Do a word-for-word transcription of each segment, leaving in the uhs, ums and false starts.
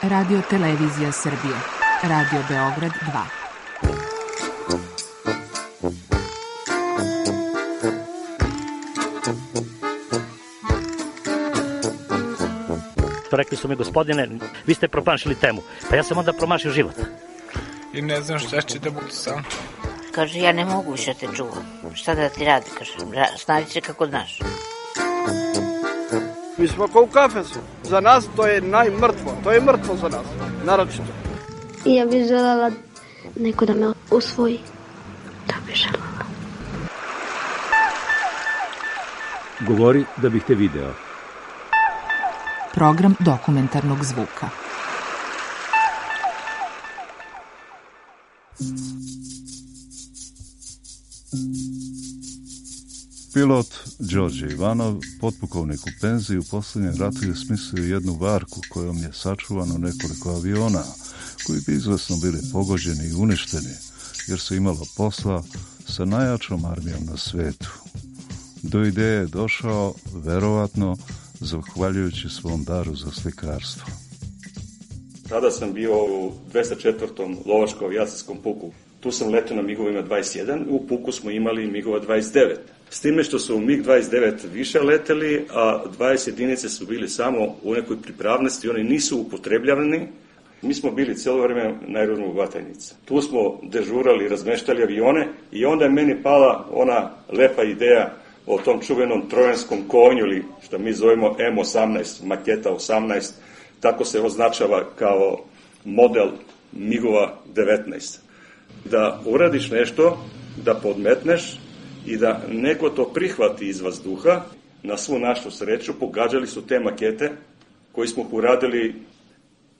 Radio Televizija Srbije, Radio Beograd dva. Rekli su mi, gospodine, vi ste promašili temu. Pa ja sam onda promašio život. I ne znam šta će da bude sam. Kaže, ja ne mogu više te čuvam. Šta da ti radi, kaže, snađi se kako znaš. Mi smo kao u kafesu. Za nas to je najmrtvo. To je mrtvo za nas, naročito. I ja bih želela neko da me usvoji. Da bih želela. Govori da bih te video. Program dokumentarnog zvuka. Pilot Đorđe Ivanov, potpukovnik u penziji, u posljednjem ratu je smislio jednu varku kojom je sačuvano nekoliko aviona, koji bi izvesno bili pogođeni i uništeni, jer se imalo posla sa najjačom armijom na svetu. Do ideje je došao, verovatno, zahvaljujući svom daru za slikarstvo. Tada sam bio u dvesta četvrtom lovačko-avijacijskom puku. Tu sam letio na migovima dvadeset jedan, u puku smo imali migova dvadeset devet. S time što su mig dvadeset devet više leteli, a dvadeset jedinice su bili samo u nekoj pripravnosti, oni nisu upotrebljavani. Mi smo bili cijelo vreme na aerodromu Batajnica. Tu smo dežurali, razmeštali avione i onda je meni pala ona lepa ideja o tom čuvenom trojanskom konju, ili što mi zovemo M osamnaest, maketa osamnaest, tako se označava kao model migova devetnaest. Da uradiš nešto, da podmetneš i da neko to prihvati iz vazduha. Na svu našu sreću pogađali su te makete koji smo uradili.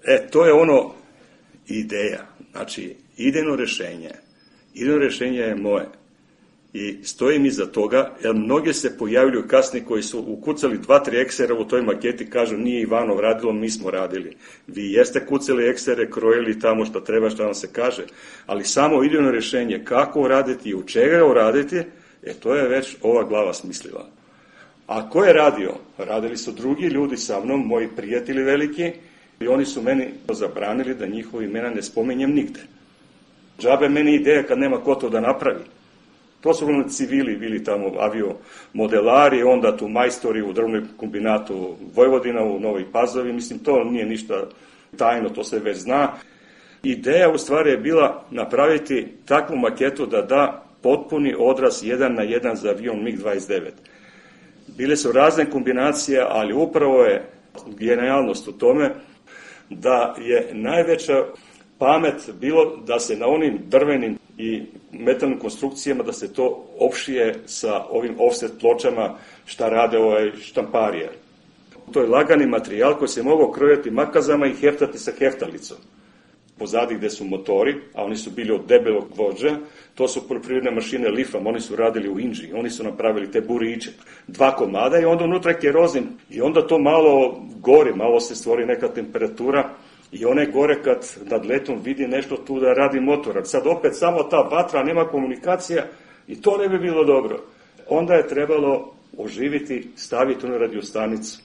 E, to je ono ideja, znači idejno rešenje. Idejno rešenje je moje. I stojim iza toga, jer mnoge se pojavljuju kasnije koji su ukucali dva, tri eksera u toj maketi, kažu nije Ivanov radilo, mi smo radili. Vi jeste kucali eksere, krojili tamo što treba, što vam se kaže, ali samo idejno rešenje kako uraditi i u čega uraditi, e to je već ova glava smislila. A ko je radio? Radili su drugi ljudi sa mnom, moji prijatelji veliki, i oni su meni zabranili da njihovi imena ne spominjem nigde. Džabe meni ideja kad nema ko to da napravi. To su ono civili bili tamo, aviomodelari, onda tu majstori u drvnoj kombinatu Vojvodina u Novoj Pazovi, mislim to nije ništa tajno, to se već zna. Ideja u stvari je bila napraviti takvu maketu da da potpuni odraz jedan na jedan za avion mig dvadeset devet. Bile su razne kombinacije, ali upravo je genijalnost u tome da je najveća pamet bilo da se na onim drvenim i metalnim konstrukcijama da se to opšije sa ovim offset pločama šta rade ovaj štamparije. To je lagani materijal koji se mogao krojati makazama i heftati sa heftalicom. Pozadi gde su motori, a oni su bili od debelog gvožđa, to su poljoprivredne mašine Lifam, oni su radili u Inđiji, oni su napravili te buriće, dva komada i onda unutra je kerozin i onda to malo gori, malo se stvori neka temperatura i one gore kad nad letom vidi nešto tu da radi motor, sad opet samo ta vatra, nema komunikacija i to ne bi bilo dobro. Onda je trebalo oživiti, staviti onu radiostanicu.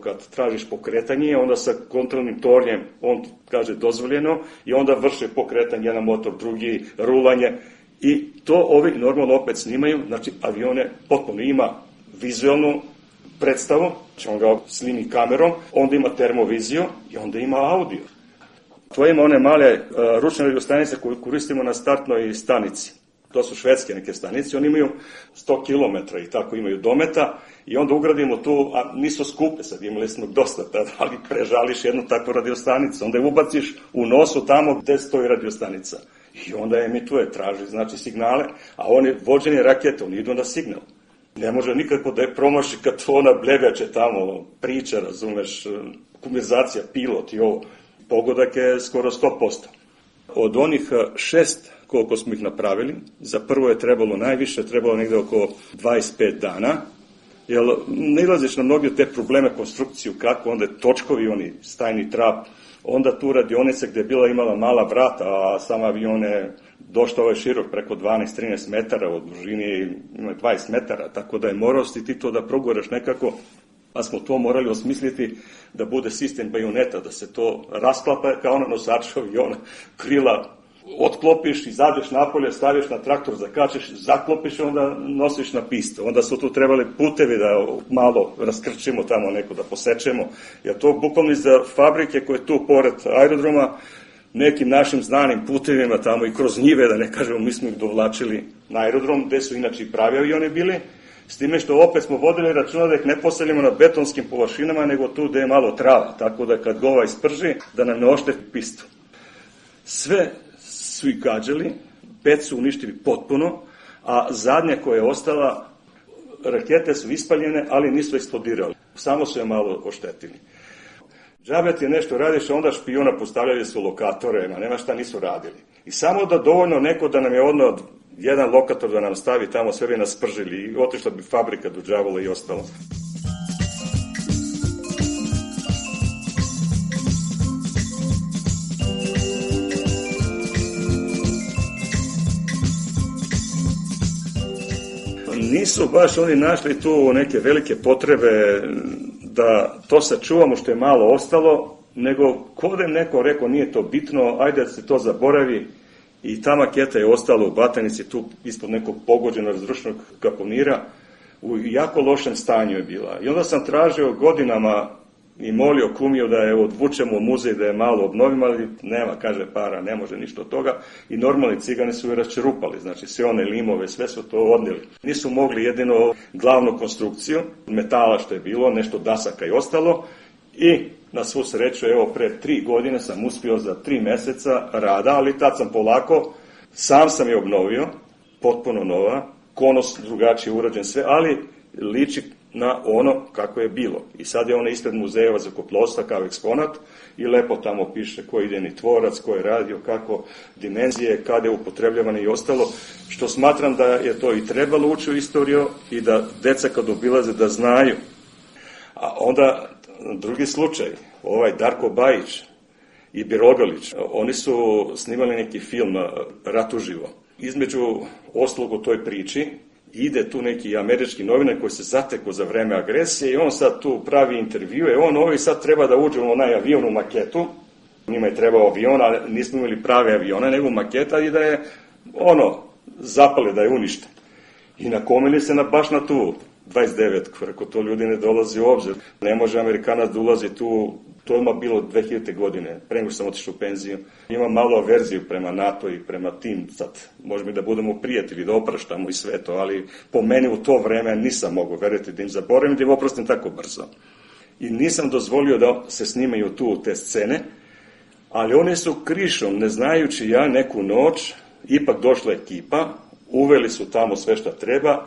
Kad tražiš pokretanje, onda sa kontrolnim tornjem, on kaže dozvoljeno, i onda vrše pokretanje, jedan motor, drugi, rulanje, i to ovi normalno opet snimaju, znači avione potpuno ima vizualnu predstavu, znači on ga snimi kamerom, onda ima termoviziju i onda ima audio. To ima one male uh, ručne radiostanice koje koristimo na startnoj stanici. To su švedske neke stanice, oni imaju sto kilometara i tako imaju dometa i onda ugradimo tu, a nisu skupe, sad imali smo dosta tada, ali prežališ jednu takvu radiostanicu, onda je ubaciš u nosu tamo gde stoji radiostanica i onda emituje, traži znači signale, a oni vođeni rakete, oni idu na signal. Ne može nikako da je promaši kad to ona blegače tamo priča, razumeš, konverzacija, pilot i ovo, pogodak je skoro sto posto. Od onih šest koliko smo ih napravili, za prvo je trebalo najviše, trebalo negde oko dvadeset pet dana, jer nailaziš na mnogi te probleme, konstrukciju, kako, onda je točkovi, oni stajni trap, onda tu radionica gde je bila imala mala vrata, a sam avion je došao ovaj širok preko dvanaest trinaest metara, od dužine ima dvadeset metara, tako da je morao si ti to da proguraš nekako. Pa smo to morali osmisliti da bude sistem bajoneta, da se to rasklapa kao na nosaču aviona, krila otklopiš, izađeš napolje, staviš na traktor, zakačeš, zaklopiš i onda nosiš na pistu. Onda su tu trebali putevi da malo raskrčimo tamo neko, da posečemo. Jer to bukvalno iza fabrike koje je tu pored aerodroma, nekim našim znanim putevima tamo i kroz njive, da ne kažemo, mi smo ih dovlačili na aerodrom, gde su inače i pravi avioni bili, s time što opet smo vodili računa da ih ne postavljamo na betonskim površinama, nego tu gde je malo trava, tako da kad gova isprži, da nam ne ošteti pistu. Sve su ih gađali, pet su uništili potpuno, a zadnja koja je ostala, rakete su ispaljene, ali nisu eksplodirali. Samo su je malo oštetili. Džabe ti je nešto radiš, a onda špijuna postavljali su lokatore, ma nema šta nisu radili. I samo da dovoljno neko da nam je odno jedan lokator da nam stavi tamo, sve bi nas spržili i otišla bi fabrika do đavola i ostalo. Nisu baš oni našli tu neke velike potrebe da to sačuvamo što je malo ostalo, nego kod je neko rekao nije to bitno, ajde da se to zaboravi i ta maketa je ostala u Batanici tu ispod nekog pogođenog razrušenog kaponira, u jako lošem stanju je bila. I onda sam tražio godinama i molio kumiju da je odvučemo u muzej, da je malo obnovimo, ali nema, kaže para, ne može ništa od toga. I normalni cigani su je raščerupali, znači sve one limove, sve su to odnijeli. Nisu mogli jedino glavnu konstrukciju, metala što je bilo, nešto dasaka i ostalo. I na svu sreću, evo, pre tri godine sam uspio za tri meseca rada, ali tad sam polako, sam sam je obnovio, potpuno nova, konos drugačije urađen sve, ali liči na ono kako je bilo. I sad je ona ispred muzejeva zrakoplovstva kao eksponat i lepo tamo piše ko je idejni tvorac, ko je radio, kako dimenzije, kada je upotrebljavan i ostalo, što smatram da je to i trebalo ući u istoriju i da deca kad obilaze da znaju. A onda drugi slučaj, ovaj Darko Bajić i Birogalić, oni su snimali neki film Rat uživo. Između ostalog u toj priči ide tu neki američki novinar koji se zatekao za vreme agresije i on sad tu pravi intervjue, on ovi sad treba da uđe u onaj avion u maketu, njima je trebao avion, ali nismo imali prave avione, nego maketa i da je ono, zapale, da je uništen. I nakomili se na, baš na tu dvadeset devet, ako to ljudi ne dolazi u obzir. Ne može Amerikanac da ulazi tu, to je bilo dve hiljadite godine, pre nego sam otišao u penziju. Ima malo averziju prema NATO i prema tim, sad može mi da budemo prijatelji, da opraštamo i sve to, ali po meni u to vreme nisam mogao, verujete, da im zaboravim, da im oprostim tako brzo. I nisam dozvolio da se snimaju tu te scene, ali oni su krišom, ne znajući ja, neku noć, ipak došla ekipa, uveli su tamo sve šta treba,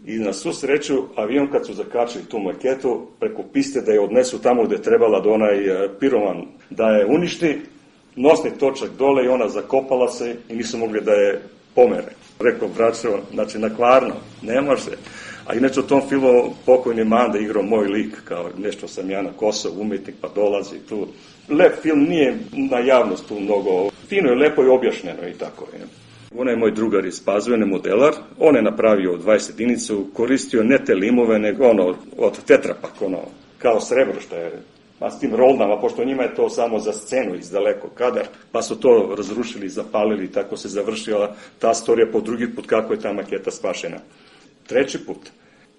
i na svu sreću, avion kad su zakačili tu maketu, preko piste da je odnesu tamo gde je trebala da onaj piroman da je uništi, nosni točak dole i ona zakopala se i nisu mogli da je pomere. Rekao, braćo, znači na kvarno, ne može. A inače u tom filmu pokojni Manda igrao moj lik, kao nešto sam ja na Kosovu, umetnik, pa dolazi tu. Lep film, nije na javnost tu mnogo, fino je, lepo je objašnjeno i tako je. On je moj drugar iz Pazove, modelar, on je napravio dvadeset jedinicu, koristio ne te limove, nego ono, od tetrapak, ono, kao srebro što je, a s tim rolnama, pošto njima je to samo za scenu iz daleko kadar, pa su to razrušili, zapalili, tako se završila ta storija po drugi put kako je ta maketa spašena. Treći put,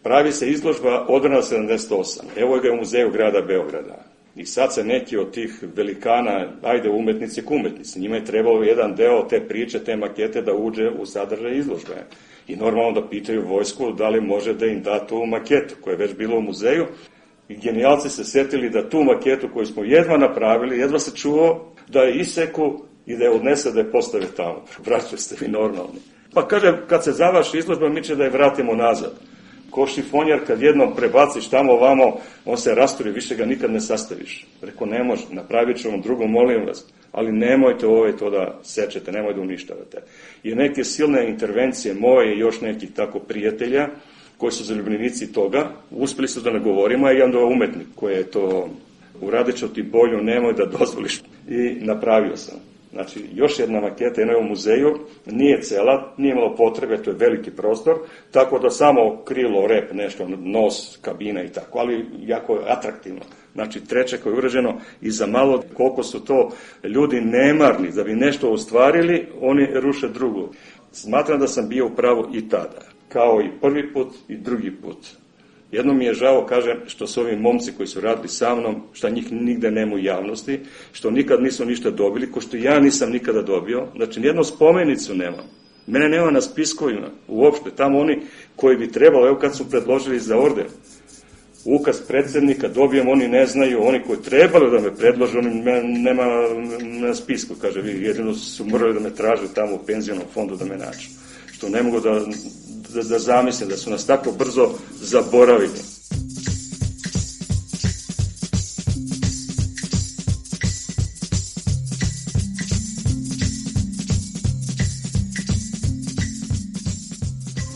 pravi se izložba Odbrana sedamdeset osam, evo ga je u muzeju grada Beograda. I sad se neki od tih velikana, ajde umetnici k umetnici, njima je trebalo jedan deo te priče, te makete da uđe u sadržaj izložbe. I normalno da pitaju vojsku da li može da im da tu maketu koja je već bila u muzeju. I genijalci se setili da tu maketu koju smo jedva napravili, jedva se čuo, da je iseku i da je odnese da je postave tamo. Braćo, ste vi normalni. Pa kaže, kad se završi izložba, mi će da je vratimo nazad. Ko šifonjer, kad jednom prebaciš tamo ovamo, on se rasturi, više ga nikad ne sastaviš. Rekao, ne može, napravit ću vam drugo, molim vas, ali nemojte ovaj to da sečete, nemojte da uništavate. I neke silne intervencije moje i još nekih tako prijatelja, koji su zaljubljenici toga, uspeli su da ne govorimo, a i onda umetnik koji je to uradit ću ti bolju, nemoj da dozvoliš. I napravio sam. Znači, još jedna maketa, jedna je u muzeju, nije cela, nije imalo potrebe, to je veliki prostor, tako da samo krilo, rep, nešto, nos, kabina i tako, ali jako je atraktivno. Znači, treće koje je urađeno i za malo koliko su to ljudi nemarni da bi nešto ostvarili, oni ruše drugo. Smatram da sam bio u pravu i tada, kao i prvi put i drugi put. Jedno mi je žao, kažem, što su ovi momci koji su radili sa mnom, što njih nigde nema u javnosti, što nikad nisu ništa dobili, ko što ja nisam nikada dobio. Znači, nijednu spomenicu nemam. Mene nema na spiskovima, uopšte. Tamo oni koji bi trebalo, evo kad su predložili za orden, ukaz predsjednika, dobijem, oni ne znaju, oni koji trebali da me predlože, oni nema na spisku, kaže, vi jedino su morali da me traže tamo u penzionom fondu da me nađu. Što ne mogu da, da, da zamislim, da su nas tako brzo zaboravili.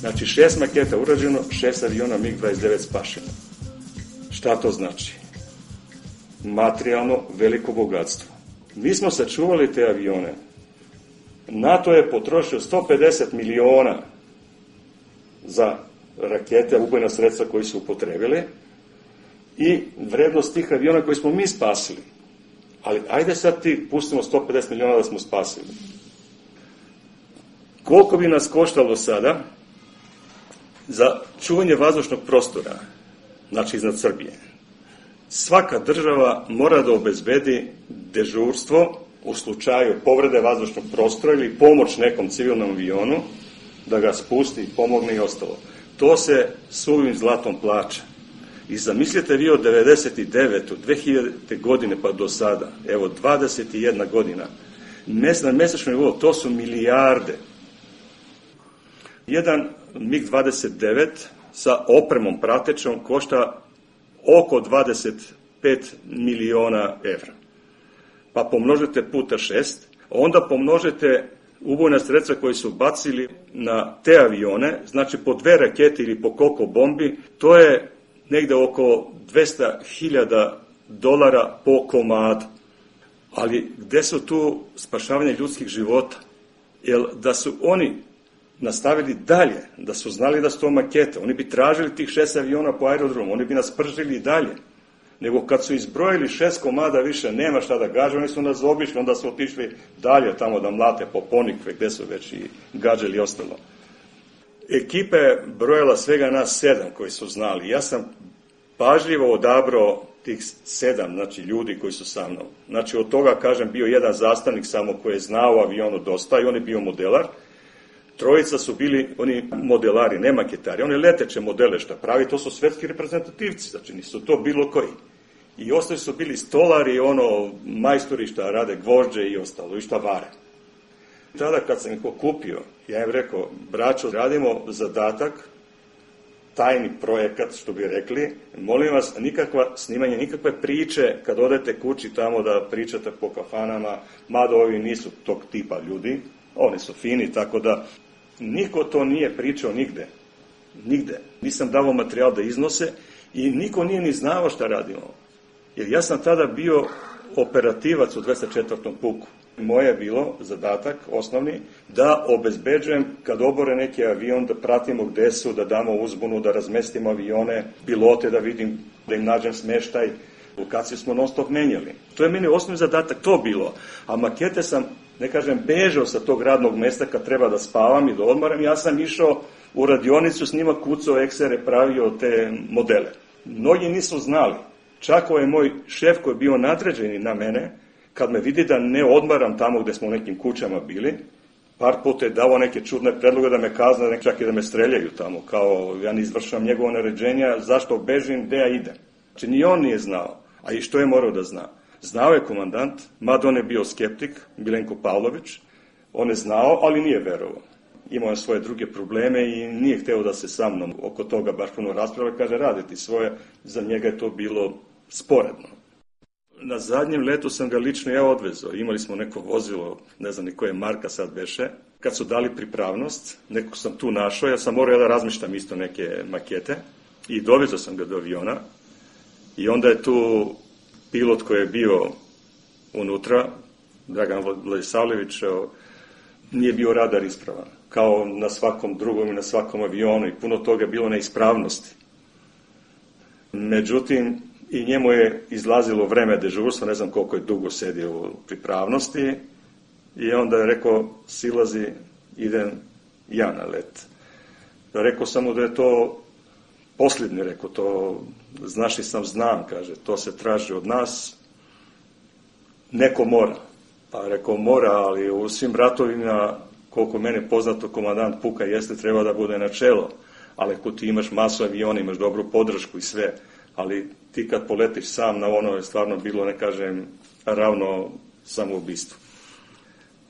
Znači, šest maketa urađeno, šest aviona mig dvadeset devet spašeno. Šta to znači? Materijalno veliko bogatstvo. Mi smo sačuvali te avione. NATO je potrošio sto pedeset miliona za rakete, ubojna sredstva koji su upotrebili i vrednost tih aviona koji smo mi spasili. Ali ajde sad ti pustimo sto pedeset miliona da smo spasili. Koliko bi nas koštalo sada za čuvanje vazdušnog prostora, znači iznad Srbije? Svaka država mora da obezbedi dežurstvo u slučaju povrede vazdušnog prostora ili pomoć nekom civilnom avionu da ga spusti, pomogne i ostalo. To se suvim zlatom plaća. I zamislite vi od devedeset devete. dve hiljadite. godine pa do sada, evo dvadeset jedna godina, na mesečnom nivou, to su milijarde. Jedan mig dvadeset devet sa opremom pratećom košta oko dvadeset pet miliona evra. Pa pomnožite puta šest, onda pomnožite ubojna sredstva koji su bacili na te avione, znači po dve rakete ili po koliko bombi, to je negde oko dvesta hiljada dolara po komadu. Ali gde su tu spašavanje ljudskih života? Jer da su oni nastavili dalje, da su znali da su to makete, oni bi tražili tih šest aviona po aerodromu, oni bi nas pržili i dalje. Nego kad su izbrojili šest komada više nema šta da gaže, oni su nas obišli, onda su otišli dalje tamo da mlate po Ponikve, gde su već i gađali i ostalo. Ekipa je brojala svega nas sedam koji su znali. Ja sam pažljivo odabrao tih sedam, znači ljudi koji su sa mnom. Znači od toga, kažem, bio jedan zastavnik samo koji je znao o avionu dosta i on je bio modelar. Trojica su bili oni modelari, ne maketari, oni leteće modele što pravi, to su svetski reprezentativci, znači nisu to bilo koji. I ostali su bili stolari, ono, majstori šta rade gvožđe i ostalo, i šta vare. Tada kad sam ih okupio, ja im rekao, braćo, radimo zadatak, tajni projekat, što bi rekli, molim vas, nikakva snimanje, nikakve priče, kad odete kući tamo da pričate po kafanama, mada ovi nisu tog tipa ljudi, oni su fini, tako da niko to nije pričao nigde. Nigde. Nisam davao materijal da iznose i niko nije ni znao šta radimo. Jer ja sam tada bio operativac u dvesta četvrtom puku. Moje je bilo zadatak, osnovni, da obezbeđujem kad obore neki avion, da pratimo gde su, da damo uzbunu, da razmestimo avione, pilote, da vidim, da im nađem smeštaj. Lokaciju smo non stop menjali. To je meni osnovni zadatak, to bilo. A makete sam, ne kažem, bežao sa tog radnog mesta kad treba da spavam i da odmaram. Ja sam išao u radionicu s njima, kucao eksere, pravio te modele. Mnogi nisu znali. Čak ovaj moj šef koji je bio nadređeni na mene, kad me vidi da ne odmaram tamo gde smo u nekim kućama bili, par puta je dao neke čudne predloge da me kazne, čak i da me streljaju tamo, kao ja ne izvršam njegovo naređenja, zašto bežim, gde ja idem. Znači, ni on nije znao. A i što je morao da zna? Znao je komandant, mada on je bio skeptik, Milenko Pavlović, on je znao, ali nije verovao. Imao je svoje druge probleme i nije hteo da se sa mnom oko toga baš puno raspravlja, kaže, raditi svoje, za njega je to bilo sporedno. Na zadnjem letu sam ga lično ja odvezao, imali smo neko vozilo, ne znam ni koje marka sad beše, kad su dali pripravnost, nekog sam tu našao, ja sam morao da razmišljam isto neke makete i dovezao sam ga do aviona i onda je tu pilot koji je bio unutra, Dragan Vladisavljević, nije bio radar ispravan, kao na svakom drugom i na svakom avionu i puno toga je bilo neispravnosti. Međutim, i njemu je izlazilo vreme dežurstva, ne znam koliko je dugo sedio u pripravnosti, i onda je rekao, silazi, idem ja na let. Rekao sam mu da je to posljednje, rekao, to znaš i sam znam, kaže, to se traži od nas, neko mora. Pa rekao, mora, ali u svim ratovima, koliko mene poznato, komandant puka jeste, treba da bude na čelo, ali ako ti imaš masu aviona, imaš dobru podršku i sve, ali ti kad poletiš sam na ono je stvarno bilo, ne kažem, ravno samoubistvu.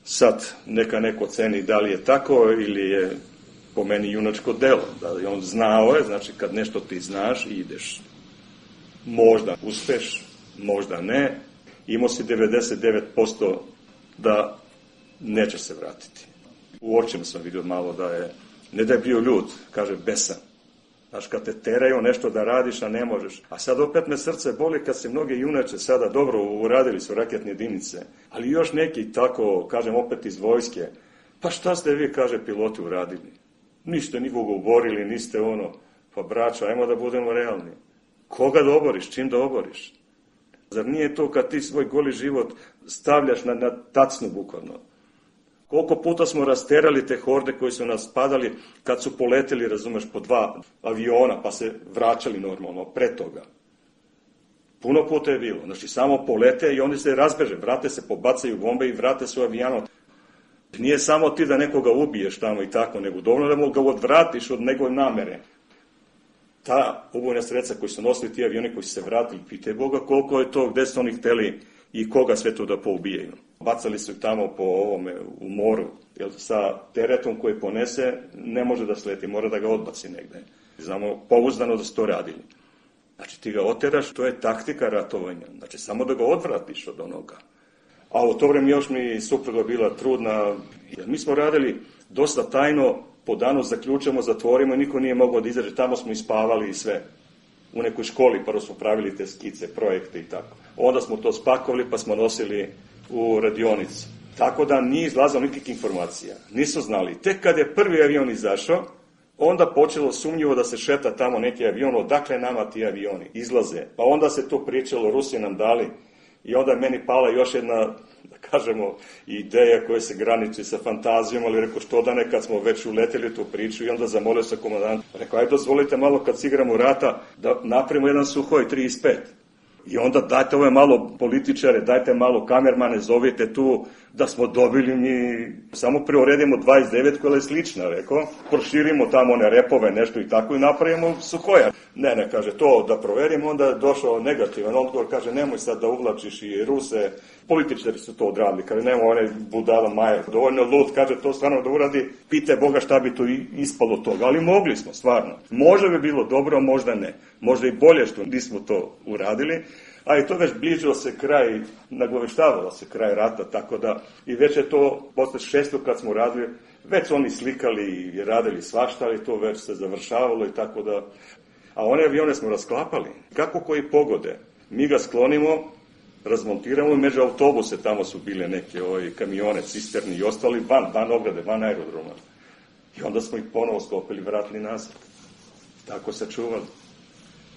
Sad, neka neko ceni da li je tako ili je po meni junačko delo, da je on znao je, znači kad nešto ti znaš i ideš, možda uspeš, možda ne, imao si devedeset devet posto da nećeš se vratiti. U očima sam vidio malo da je, ne da je bio ljud, kaže besan. Znaš, kad te teraju nešto da radiš, a ne možeš. A sad opet me srce boli kad se mnoge junače sada dobro uradili su raketne jedinice, ali još neki tako, kažem opet iz vojske, pa šta ste vi, kaže, piloti uradili? Niste nikoga uborili, niste ono, pa braćo, ajmo da budemo realni. Koga da oboriš, čim da oboriš? Zar nije to kad ti svoj goli život stavljaš na, na tacnu bukvalno? Koliko puta smo rasterali te horde koji su nas padali kad su poleteli, razumeš, po dva aviona pa se vraćali normalno pre toga. Puno puta je bilo. Znači, samo polete i oni se razbeže, vrate se, pobacaju bombe i vrate se u avionu. Nije samo ti da nekoga ubiješ tamo i tako, nego dovoljno da mu ga odvratiš od njegove namere. Ta ubojna sredstva koji su nosili ti avioni koji su se vratili, pitaj Boga koliko je to, gde su oni hteli i koga sve to da poubijaju. Bacali su ih tamo po ovome u moru, jer sa teretom koji ponese ne može da sleti, mora da ga odbaci negde. Znamo pouzdano da su to radili. Znači ti ga oteraš, to je taktika ratovanja, znači samo da ga odvratiš od onoga. A u to vreme još mi supruga bila trudna, jer mi smo radili dosta tajno, po danu zaključamo, zatvorimo i niko nije mogao da izađe, tamo smo ispavali i sve. U nekoj školi prvo smo pravili te skice, projekte i tako. Onda smo to spakovali pa smo nosili u radionicu. Tako da nije izlazilo nikakvih informacija. Nisu znali. Tek kad je prvi avion izašao, onda počelo sumnjivo da se šeta tamo neki avion, odakle nama ti avioni izlaze. Pa onda se to pričalo, Rusi nam dali. I onda je meni pala još jedna, da kažemo, ideja koja se graniči sa fantazijom, ali rekao što da ne, kad smo već uleteli tu priču i onda zamolio se komandant. Rekao, ajde dozvolite malo kad igramo rata da napravimo jedan Suhoj trideset pet. I onda dajte ove malo političare, dajte malo kamermane, zovite tu da smo dobili mi, samo preuredimo dvadeset devet koja je slična, rekao, proširimo tamo one repove, nešto i tako i napravimo Suhoja. Ne, ne, kaže, to da proverimo, onda je došao negativan odgovor, kaže, nemoj sad da uvlačiš i Ruse, političari su to odradili, kaže, nemoj one budala Majer, dovoljno lud, kaže, to stvarno da uradi, pitaj Boga šta bi to ispalo toga, ali mogli smo, stvarno. Možda bi bilo dobro, možda ne, možda i bolje što nismo to uradili, a i to već bližilo se kraj, nagoveštavalo se kraj rata, tako da i već je to, posle šesto kad smo radili, već su oni slikali i radili svašta, ali to već se završavalo i tako da, a one avione smo rasklapali, kako koji pogode, mi ga sklonimo, razmontiramo i među autobuse, tamo su bile neke ovaj, kamione, cisterni i ostali van, van ograde, van aerodroma. I onda smo ih ponovo sklopili, vratili nazad. Tako se čuvali.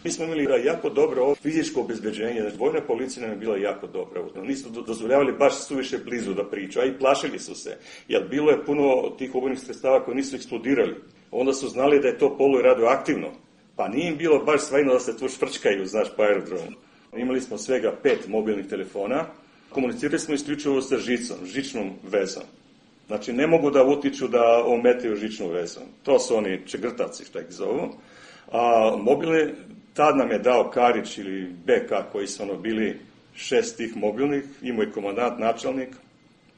Mi smo imali jako dobro fizičko obezbeđenje, znači vojna policija nam je bila jako dobra. Nisu dozvoljavali baš suviše blizu da priču, a i plašili su se, jer bilo je puno tih ubojnih sredstava koji nisu eksplodirali. Onda su znali da je to polu radioaktivno, pa nije im bilo baš svajno da se tu švrčkaju, znaš, po aerodromu. Imali smo svega pet mobilnih telefona, komunicirali smo isključivo sa žicom, žičnom vezom. Znači, ne mogu da utiču da ometaju žičnu vezu. To su oni čegrtavci, šta ih zovu. A mobilne, tad nam je dao Karić ili B K koji su ono bili šest tih mobilnih, imao je komandant, načelnik,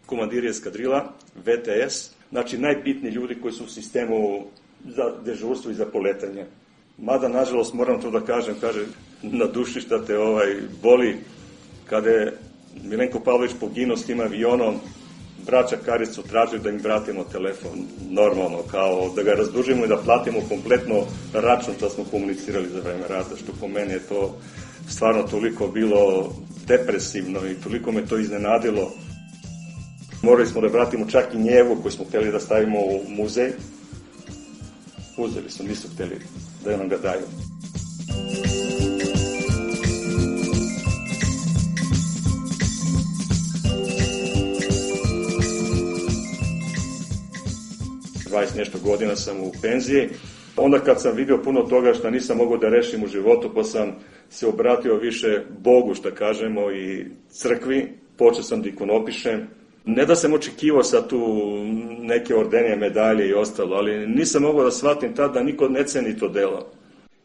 komandir eskadrila, V T S, znači najbitniji ljudi koji su u sistemu za dežurstvo i za poletanje. Mada, nažalost, moram to da kažem, kaže, na duši šta te ovaj, boli, kada je Milenko Pavlović poginuo s tim avionom, braća Karić su tražili da im vratimo telefon, normalno, kao da ga razdužimo i da platimo kompletno račun što smo komunicirali za vreme rata, što po meni je to stvarno toliko bilo depresivno i toliko me to iznenadilo. Morali smo da vratimo čak i njevu koju smo hteli da stavimo u muzej. Uzeli su, nisu hteli da nam ga daju. dvadeset nešto godina sam u penziji. Onda kad sam vidio puno toga što nisam mogao da rešim u životu, pa sam se obratio više Bogu, što kažemo, i crkvi. Počeo sam da ikonopišem. Ne da sam očekivao sad tu neke ordenije, medalje i ostalo, ali nisam mogao da shvatim tad da niko ne ceni to delo.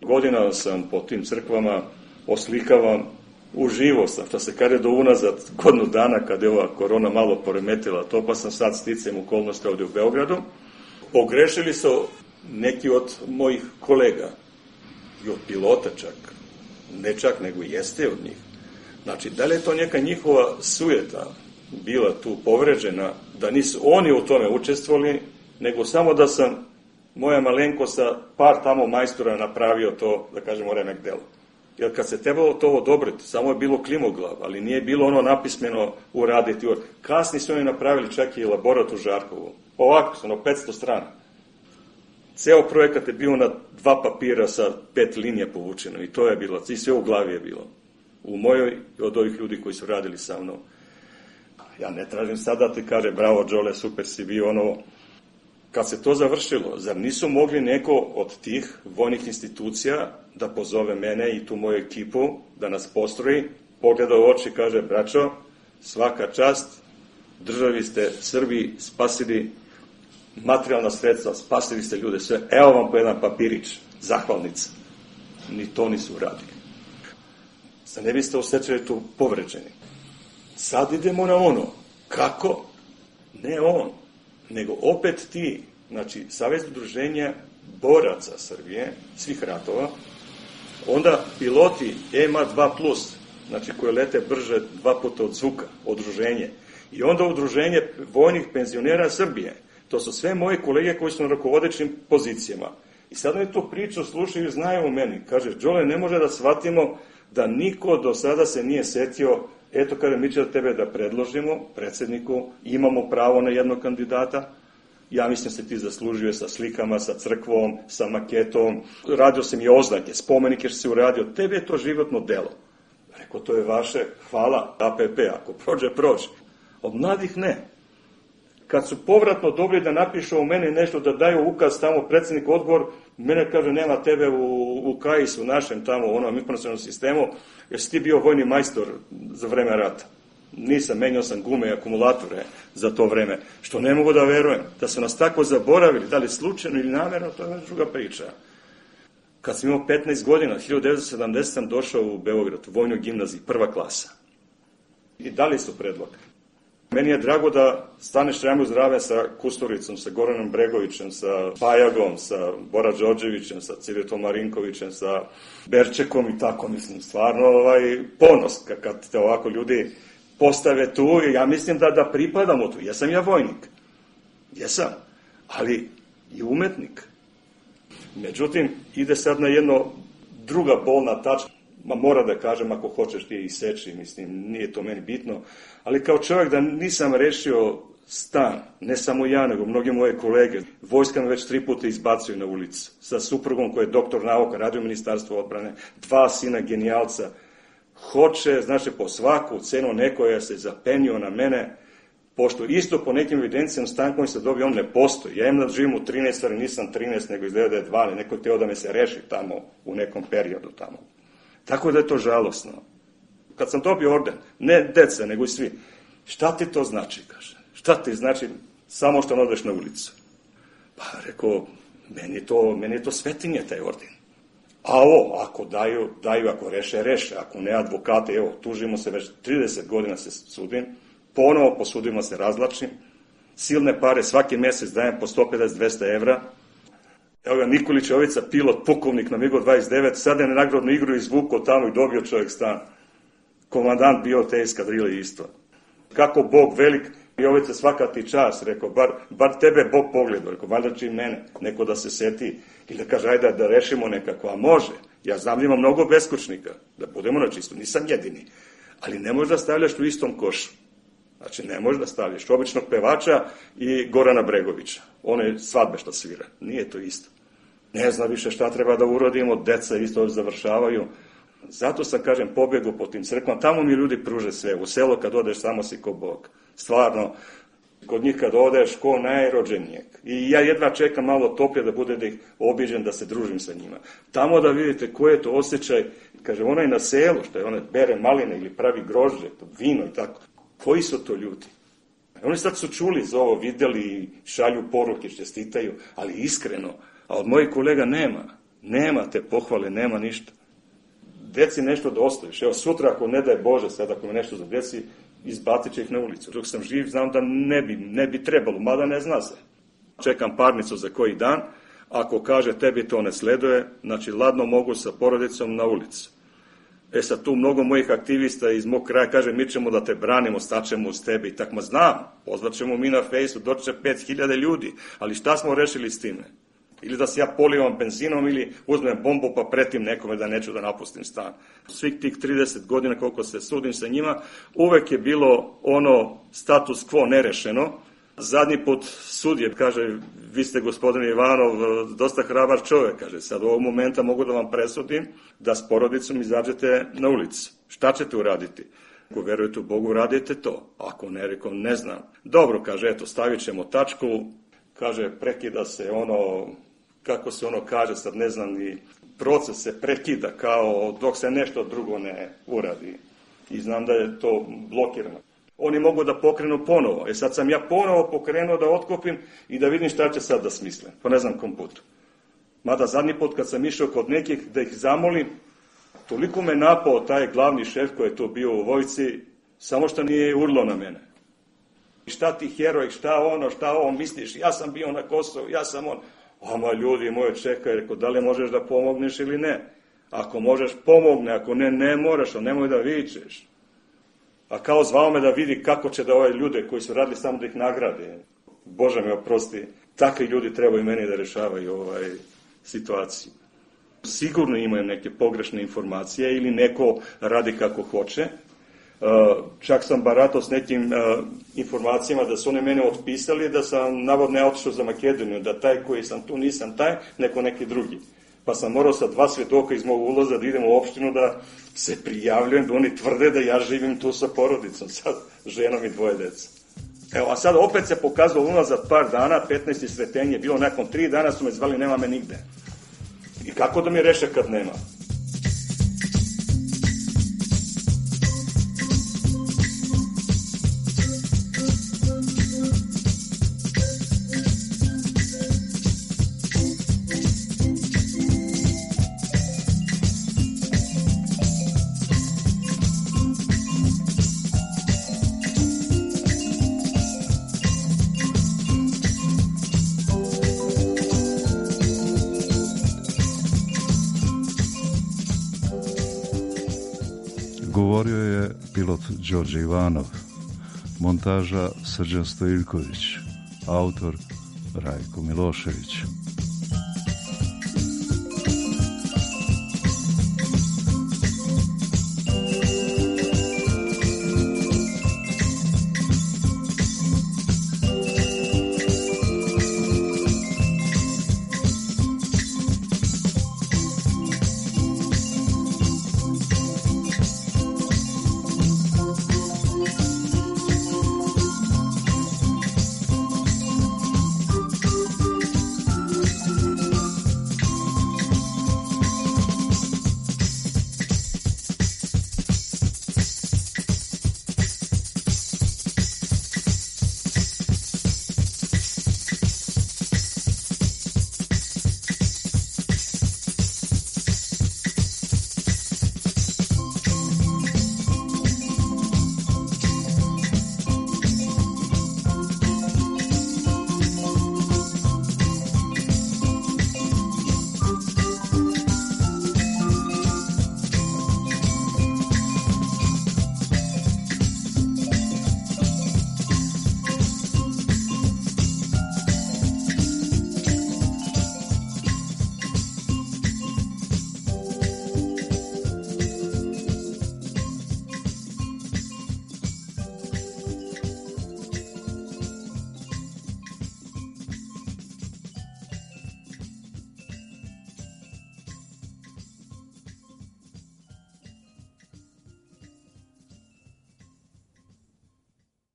Godina sam po tim crkvama, oslikavam, uživo sam, što se kaže do unazad godinu dana kad je ova korona malo poremetila to, pa sam sad sticajem okolnosti ovdje u Beogradu. Pogrešili su neki od mojih kolega i od pilota čak, ne čak nego jeste od njih. Znači, da li je to neka njihova sujeta bila tu povređena, da nisu oni u tome učestvovali, nego samo da sam moja malenko sa par tamo majstora napravio to, da kažemo, remek delo. Jer kad se trebalo to odobriti, samo je bilo klimoglav, ali nije bilo ono napismeno uraditi. Kasni su oni napravili čak i elaborat u Žarkovu. Ovako su, ono, petsto strana. Ceo projekat je bio na dva papira sa pet linija povučeno i to je bilo, i sve u glavi je bilo. U mojoj i od ovih ljudi koji su radili sa mnom. Ja ne tražim sada da ti kaže, bravo Đole, super si bio, ono. Kad se to završilo, zar nisu mogli neko od tih vojnih institucija da pozove mene i tu moju ekipu, da nas postroji, pogleda u oči i kaže, braćo, svaka čast, državi ste Srbiji spasili materijalna sredstva, spasili ste ljude sve, evo vam po jedan papirić, zahvalnica. Ni to nisu uradili. Sad ne biste osjećali tu povređeni. Sad idemo na ono. Kako? Ne on, nego opet ti, znači Savez udruženja boraca Srbije, svih ratova, onda piloti E M A dva plus, znači koje lete brže dva puta od zvuka, udruženje, i onda udruženje vojnih penzionera Srbije. To su sve moje kolege koji su na rukovodećim pozicijama. I sad oni tu priču slušaju i znaju o meni. Kaže, Đole, ne može da shvatimo da niko do sada se nije setio, eto, kaže, mi će da tebe da predložimo predsedniku, imamo pravo na jednog kandidata, ja mislim se ti zaslužio sa slikama, sa crkvom, sa maketom, radio sam i oznake, spomenike što si uradio, tebi je to životno delo. Rekao, to je vaše, hvala, A P P, ako prođe, prođe. Od mladih ne. Kad su povratno dobili da napišu o meni nešto, da daju ukaz tamo predsednik odbor, mene kaže, nema tebe u, u K A I S-u našem tamo, u onom informacionom sistemu, jer si ti bio vojni majstor za vreme rata. Nisam, menjao sam gume i akumulatore za to vreme. Što ne mogu da verujem, da su nas tako zaboravili, da li slučajno ili namjerno, to je već druga priča. Kad sam imao petnaest godina, hiljadu devetsto sedamdesete. sam došao u Beograd, u vojnoj gimnaziji, prva klasa. I dali su predlog. Meni je drago da staneš rame uz rame sa Kusturicom, sa Goranom Bregovićem, sa Pajagom, sa Bora Đorđevićem, sa Civetom Marinkovićem, sa Berčekom i tako, mislim, stvarno ovaj, ponos kad te ovako ljudi postave tu i ja mislim da, da pripadamo tu. Jesam ja vojnik, jesam, ali i umetnik. Međutim, ide sad na jedno druga bolna tačka. Ma mora da kažem, ako hoćeš ti i seči, mislim, nije to meni bitno, ali kao čovjek da nisam rešio stan, ne samo ja, nego mnogi moje kolege, vojska me već tri puta izbacuju na ulicu, sa suprugom koji je doktor nauka, radio ministarstvo odbrane, dva sina genijalca, hoće, znači, po svaku cenu neko je se zapenio na mene, pošto isto po nekim evidencijama stan koji se dobio, on ne postoji. Ja imam da živim u trinaest, ali nisam trinaest, nego izgleda da je dvanaest, neko je teo da me se reši tamo, u nekom periodu tamo. Tako da je to žalosno. Kad sam dobio orden, ne deca, nego i svi, šta ti to znači, kaže? Šta ti znači samo što odeš na ulicu? Pa rekao, meni je to, meni je to svetinje, taj orden. A ovo, ako daju, daju, ako reše, reše, ako ne advokate, evo, tužimo se, već trideset godina se sudim, ponovo po sudima se razlačim, silne pare, svaki mesec dajem po sto pedeset do dvesta evra. Evo ga, Nikolić Jovica, pilot, pukovnik na MiG dvadeset devet, sad je na nagradnu igru izvukao tamo i dobio čovjek stan. Komandant bio te eskadrile isto. Kako Bog velik, Jovica, svaka ti čas, rekao, bar, bar tebe Bog pogledao, rekao, valjda će i mene, neko da se seti, ili da kaže, ajde da rešimo nekako, a može. Ja znam da ima mnogo beskućnika, da budemo na čisto, nisam jedini, ali ne možeš da stavljaš u istom košu. Znači, ne možeš da stavljaš običnog pevača i Gorana Bregovića. One svadbe što svira. Nije to isto. Ne zna više šta treba da urodimo, deca isto završavaju. Zato sam, kažem, pobjegu po tim crkvama. Tamo mi ljudi pruže sve. U selo kad odeš, samo si ko Bog. Stvarno, kod njih kad odeš, ko najrođenijeg. I ja jedva čekam malo toplje da bude da ih obiđem, da se družim sa njima. Tamo da vidite koji je to osjećaj, kaže, onaj na selu, što je onaj bere maline ili pravi grožđe, vino i tako. Koji su to ljudi? Oni sad su čuli za ovo, videli, šalju poruke, čestitaju, ali iskreno. A od mojih kolega nema. Nema te pohvale, nema ništa. Deci nešto da ostaviš. Evo, sutra, ako ne daje Bože, sad ako me nešto za deci, izbacit će ih na ulicu. Dok sam živ, znam da ne bi, ne bi trebalo, mada ne zna se. Čekam parnicu za koji dan. Ako kaže tebi to ne sleduje, znači ladno mogu sa porodicom na ulicu. E sad tu mnogo mojih aktivista iz mog kraja kaže mi ćemo da te branimo, staćemo uz tebe i tak, ma znam, pozvaćemo mi na fejsu, doći će pet hiljada ljudi, ali šta smo rešili s time? Ili da se ja polivam benzinom ili uzmem bombu pa pretim nekome da neću da napustim stan. Svih tih trideset godina koliko se sudim sa njima, uvek je bilo ono status quo nerešeno. Zadnji put sudje kaže, vi ste gospodin Ivanov dosta hrabar čovjek, kaže, sad u ovog momenta mogu da vam presudim da s porodicom izađete na ulicu. Šta ćete uraditi? Ako verujete u Bogu, radite to. Ako ne, rekom, ne znam. Dobro, kaže, eto, stavit ćemo tačku, kaže, prekida se ono, kako se ono kaže, sad ne znam, ni proces se prekida kao dok se nešto drugo ne uradi. I znam da je to blokirano. Oni mogu da pokrenu ponovo. E sad sam ja ponovo pokrenuo da otkopim i da vidim šta će sad da smisle. Pa ne znam kom putu. Mada zadnji put kad sam išao kod nekih da ih zamolim, toliko me napao taj glavni šef koji je tu bio u vojsci, samo što nije urlo na mene. I šta ti heroj, šta ono, šta ovo misliš, ja sam bio na Kosovu, ja sam on. Oma ljudi moje čekaj, rekao, da li možeš da pomogneš ili ne? Ako možeš, pomogne, ako ne, ne moraš, ali nemoj da vičeš. A kao zvao me da vidi kako će da ove ljude koji su radili samo da ih nagrade. Bože me oprosti, takvi ljudi trebaju meni da rešavaju ovaj situaciju. Sigurno imaju neke pogrešne informacije ili neko radi kako hoće. Čak sam baratao s nekim informacijama da su oni mene otpisali, da sam navodno otišao za Makedoniju, da taj koji sam tu nisam taj, neko neki drugi. Pa sam morao sa dva svedoka iz mog ulaza da idem u opštinu da se prijavljujem, da oni tvrde da ja živim tu sa porodicom, sad ženom i dvoje deca. Evo, a sad opet se pokazalo unazad par dana, petnaesti sretenje, bilo nakon tri dana su me zvali, nema me nigde. I kako da mi reše kad nema? Govorio je pilot Đorđe Ivanov, montaža Srđan Stojiljković, autor Rajko Milošević.